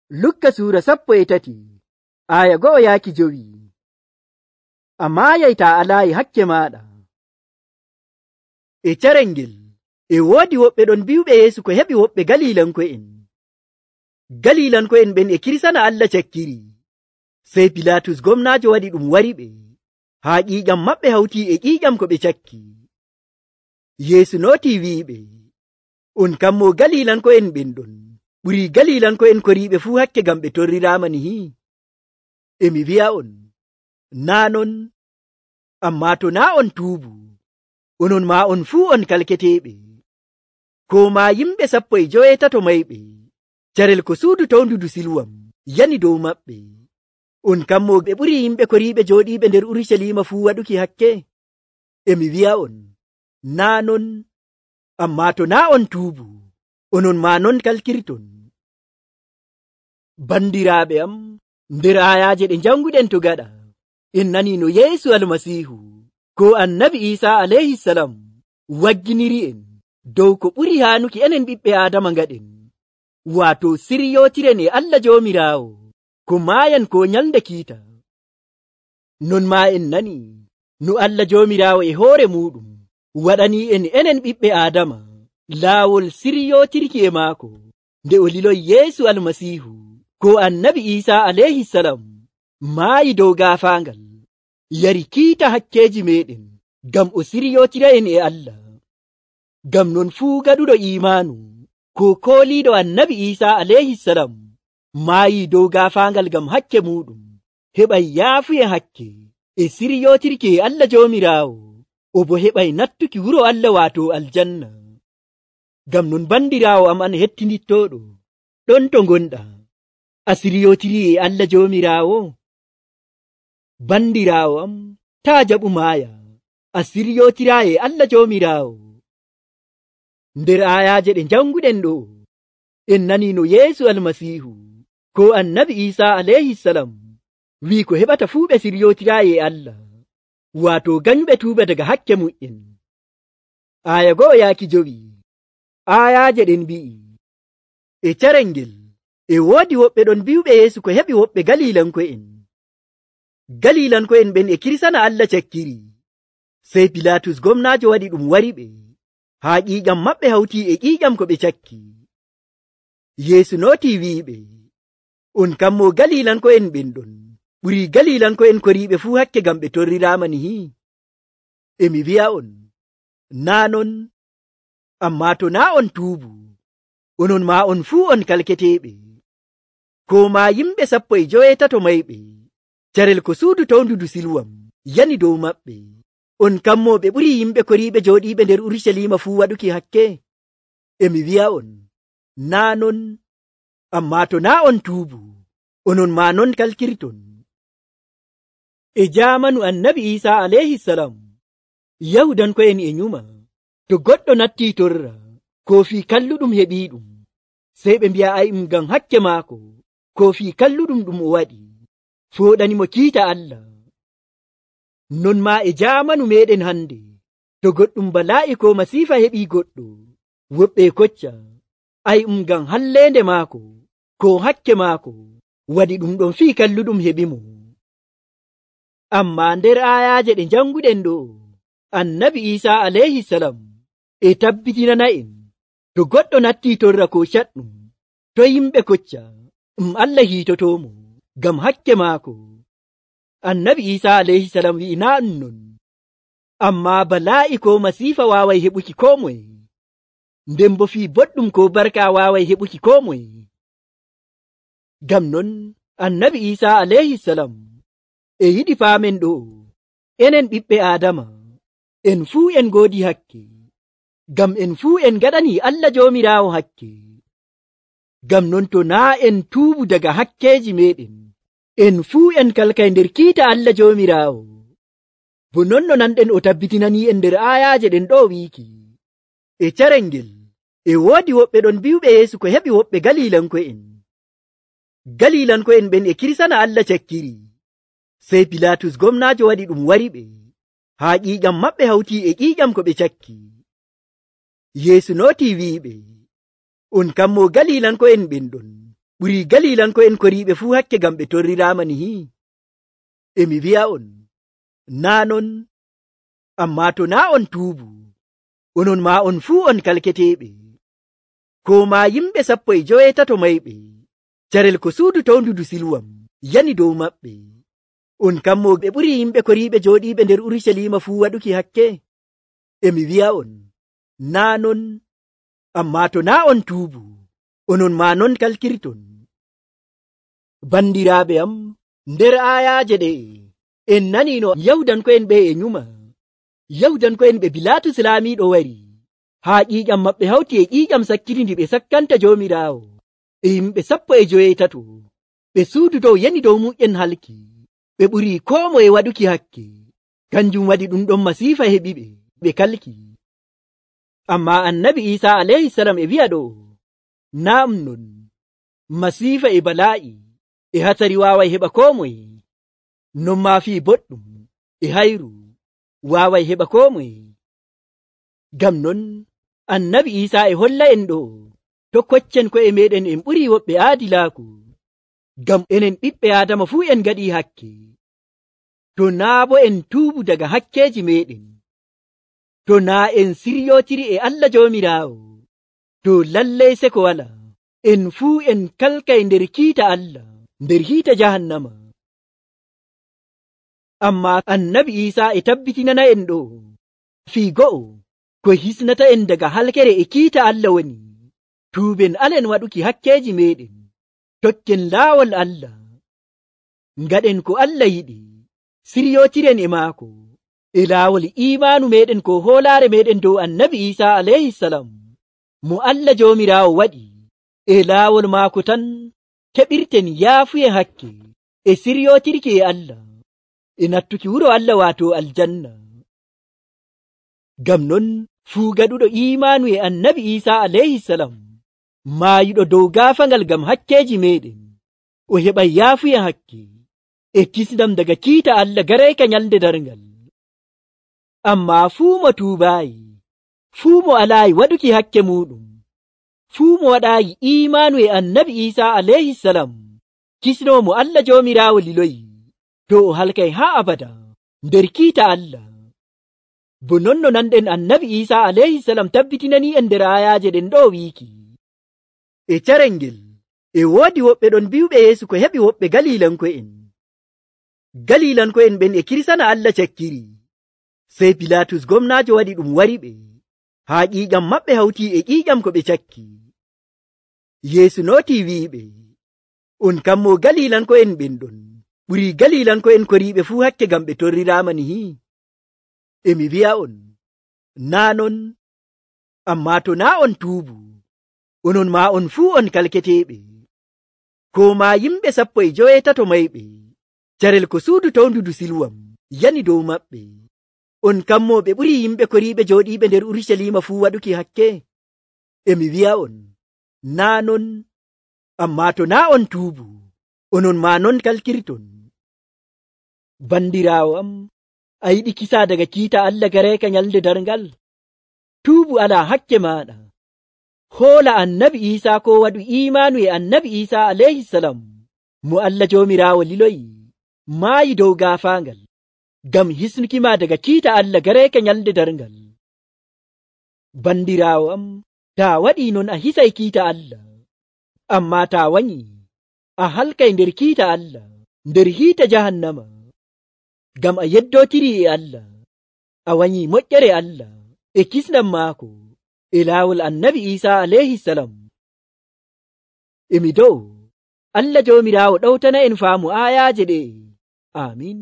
Lukka suura 13 aya 1-5. Ammaa yayta alaayi hakke maaɗa. E carel ngel e woodi woɓɓe ɗon bi'uɓe Yeesu ko heɓi woɓɓe Galilanko'en. Galilanko'en ɓen e kirsana Allah cakkiri. Sey Pilaatus gomnaajo waɗi ɗum wariɓe, haa ƴiiƴam maɓɓe hawti e ƴiiƴam ko ɓe cakki. Yeesu nootii wi'iɓe, on kam mo Galilanko'en ɓen ɗon ɓurii Galilanko'en koriiɓe fuu hakke ngam ɓe torriraama nihi? E mi wi'a'on, naa non, ammaa to naa on tuubu, onon maa on fuu on kalketeeɓe. Koo maa yimɓe 17 mayɓe, carel ko suudu towndudu Siluwam yani dow maɓɓe. On kam mo ɓe ɓurii yimɓe koriiɓe jooɗiiɓe nder Urucaliima fuu waɗuki hakke? E mi wi'a'on, naa non, ammaa to naa on tuubu, onon maa non kalkirton. Bandiraaɓe am, nder aayaaje ɗe janguɗen to gaɗa, en nanii no Yeesu Almasiihu ko Annabi Iisaa alayhisalam wagginiri'en dow ko ɓuri haanuki enen ɓiɓɓe Aadama ngaɗen, waato siryotiren e Allah Joomiraawo ko maayan ko nyalnde kiita. Non maa en nanii no Allah Joomiraawo e hoore muɗum waɗanii enen ɓiɓɓe Aadama laawol siryotirki e maako nde o liloyi Yeesu Almasiihu ko Annabi Iisaa alayhisalam maayi dow gaafaangal, yari kiita hakkeeji meɗen ngam o siryotira en e Allah. Ngam non fuu gaɗuɗo iimaanu ko kooliiɗo Annabi Iisaa alayhisalam maayi dow gaafaangal ngam hakke muɗum, heɓay yaafuye hakke e siryotirki e Allah Joomiraawo, o bo heɓay nattuki wuro Allah waato aljanna. Ngam non bandiraawo am an hettinittooɗo, ɗon to ngonɗa, a siryotiri e Allah Joomiraawo? Bandiraawo am, taa jaɓu maaya, a siryotiraa e Allah Joomiraawo. Nder aayaaje ɗe janguɗen ɗo, en nanii no Yeesu Almasiihu ko Annabi Iisaa alayhisalam wi'i ko heɓata fuu ɓe siryotiraa e Allah, waato ganyuɓe tuuba daga hakke mu'en. Aya 1-5 aayaaje ɗen mbi'i, e carel ngel e woodi woɓɓe ɗon bi'uɓe Yeesu ko heɓi woɓɓe Galilanko'en. Galilanko'en ɓen e kirsana Allah cakkiri. Sey Pilaatus gomnaajo waɗi ɗum wariɓe, haa ƴiiƴam maɓɓe hawti e ƴiiƴam ko ɓe cakki. Yeesu nootii wi'iɓe, on kam mo Galilanko'en ɓen ɗon ɓurii Galilanko'en koriiɓe fuu hakke ngam ɓe torriraama nihi? E mi wi'a'on, naa non, ammaa to naa on tuubu, onon maa on fuu on kalketeeɓe. Koo maa yimɓe 17 mayɓe, carel ko suudu towndudu Siluwam yani dow maɓɓe, on kam mo ɓe ɓurii yimɓe koriiɓe jooɗiiɓe nder Urucaliima fuu waɗuki hakke? E mi wi'a'on, naa non, ammaa to naa on tuubu, onon maa non kalkirton. E jaamanu Annabi Iisaa alayhisalam, Yahudanko'en e nyuma, to goɗɗo nattii torra, koofii kalluɗum heɓiiɗum, sey ɓe mbi'a ngam hakke maako, koofii kalluɗum ɗum o waɗi fooɗanimo kiita Allah. Non maa e jaamanu meɗen hande, to goɗɗum balaa'i ko masiifa heɓii goɗɗo, woɓɓe kocca ngam halleende maako ko hakke maako waɗi ɗum ɗon fii kalluɗum heɓimo. Ammaa nder aayaaje ɗe janguɗen ɗo, Annabi Iisaa alayhisalam e tabbitinana en to goɗɗo nattii torra ko caɗɗum, to yimɓe kocca Allah hiitotomo ngam hakke maako. Annabi Iisaa alayhisalam wi'i naa non, ammaa balaa'i ko masiifa waaway heɓuki koo moye, nden bo fii boɗɗum ko barka waaway heɓuki koo moye. Ngam non Annabi Iisaa alayhisalam e yiɗi paamen ɗo, enen ɓiɓɓe Aadama en fuu en ngoodi hakke, ngam en fuu en ngaɗanii Allah Joomiraawo hakke. Ngam non to naa en tuubu daga hakkeeji meɗen, en fuu en kalkay nder kiita Allah Joomiraawo. Bo non no nanɗen o tabbitinanii en nder aayaaje ɗen ɗo wiiki, e carel ngel e woodi woɓɓe ɗon bi'uɓe Yeesu ko heɓi woɓɓe Galilanko'en. Galilanko'en ɓen e kirsana Allah cakkiri. Sey Pilaatus gomnaajo waɗi ɗum wariɓe, haa ƴiiƴam maɓɓe hawti e ƴiiƴam ko ɓe cakki. Yeesu nootii wi'iɓe, on kam mo Galilanko'en ɓen ɗon ɓuri galilanko'en koriiɓe fuu hakke ngam ɓe torriraama nihi. Emi wi'a on, naa non, ammaa to naa on tuubu, onon maa on fuu on kalketeeɓe. Ko maa yimɓe 17 mayɓe carel ko suudu towndudu Silwam yani dow maɓɓe. On kammo ɓe ɓuri yimɓe koriiɓe jooɗiiɓe nder Urusalima fuu waɗuki hakke. Emi wi'a on, naa non, ammaa to naa on tuubu, onon maa non kalkirton. Bandiraaɓe am, nder aayaaje ɗe'e en nanii no Yahudanko'en ɓe e nyuma. Yahudanko'en ɓe Bilaatus laamiiɗo wari, haa ƴiiƴam maɓɓe hawti e ƴiiƴam sakkitindi ɓe sakkanta Joomiraawo e yimɓe 18. Ɓe suudu dow yani dow muƴƴen halki. Ɓe ɓuri koo moye waɗuki hakke. Kanjum waɗi ɗum ɗon masiifa heɓiɓe, ɓe kalki. Ammaa Annabi Iisaa alayhisalam e wi'a ɗo, naam non, masiifa e balaa'i e hatsari waaway heɓa koo moye. Non maa fii boɗɗum e hayru waaway heɓa koo moye. Ngam non Annabi Iisaa e holla en ɗo to koccen ko'e meɗen en ɓuri woɓɓe aadilaaku. Ngam enen ɓiɓɓe Aadama fuu en gaɗii hakke. To naa bo en tuubu daga hakkeeji meɗen, to naa en siryootiri e Allah Joomiraawo, to lallay seko wala en fuu en kalkay nder kiita Allah, nder hiita jahannama. Ammaa Annabi Iisaa e tabbitinana en ɗo fii go'o ko hisnata en daga halkere e kiita Allah woni tuuben alen waɗuki hakkeeji meɗen, tokken laawol Allah, ngaɗen ko Allah yiɗi, siryootiren e maako e laawol iimaanu meɗen ko hoolaare meɗen dow Annabi Iisaa alayhisalam mo Allah Joomiraawo waɗi. E laawol maako tan keɓirten yaafuye hakke e siryootirki e Allah e nattuki wuro Allah waato aljanna. Ngam non fuu gaɗuɗo iimaanu e Annabi Iisaa alayhisalam maayiɗo dow gaafangal ngam hakkeeji meɗen, o heɓa yaafuye hakke e kisndam daga kiita Allah garayka nyalde darngal. Ammaa fuu mo tuubaayi, fuu mo alaayi waɗuki hakke muɗum, fuu mo waɗaayi iimaanu e Annabi Iisaa alayhisalam kisnoomo Allah Joomiraawo liloyi, to o halkay haa abada nder kiita Allah. Bo non no nanɗen Annabi Iisaa alayhisalam tabbitinanii en nder aayaaje ɗen ɗo wiiki, e carel ngel e woodi woɓɓe ɗon bi'uɓe Yeesu ko heɓi woɓɓe Galilanko'en. Galilanko'en ɓen e kirsana Allah cakkiri. Sey Pilaatus gomnaajo waɗi ɗum wari ɓe, haa ƴiiƴam maɓɓe hawtii e ƴiiƴam ko ɓe cakki. Yeesu nootii wi'iɓe, on kammo Galilanko'en ɓen ɗon ɓuri Galilanko'en koriiɓe fuu hakke ngam ɓe torriraama nihi. Emi wi'a on, naa non, ammaa to naa on tuubu, onon maa on fuu on kalketeeɓe. Ko maa yimɓe 17 mayɓe carel ko suudu towndudu Silwam yani dow maɓɓe. On kammo ɓe ɓuri yimɓe koriiɓe jooɗiiɓe nder Urusalima fuu waɗuki hakke. Emi wi'a on, naa non, ammaa to naa on tuubu, onon maa non kalkirton. Bandiraawo am, a yiɗi kisa daga kiita Allah garayka nyalde darngal? Tuubu alaa hakke maaɗa. Hoola Annabi Iisaa ko waɗu iimaanu e Annabi Iisaa alayhisalam mo Allah Joomiraawo liloyi, maayi dow gaafaangal ngam hisnukima daga kiita Allah garayka nyalde darngal. Bandiraawo am, taa waɗii non a hisay kiita Allah, ammaa taa wanyi a halkay nder kiita Allah, nder hiita jahannama. Ngam a yeddootiri e Allah, a wanyi moƴƴere Allah e kisndam maako e laawol Annabi Iisaa alayhisalam. Emi dow Allah Joomiraawo ɗawtana en faamu aayaaje ɗe. Amin.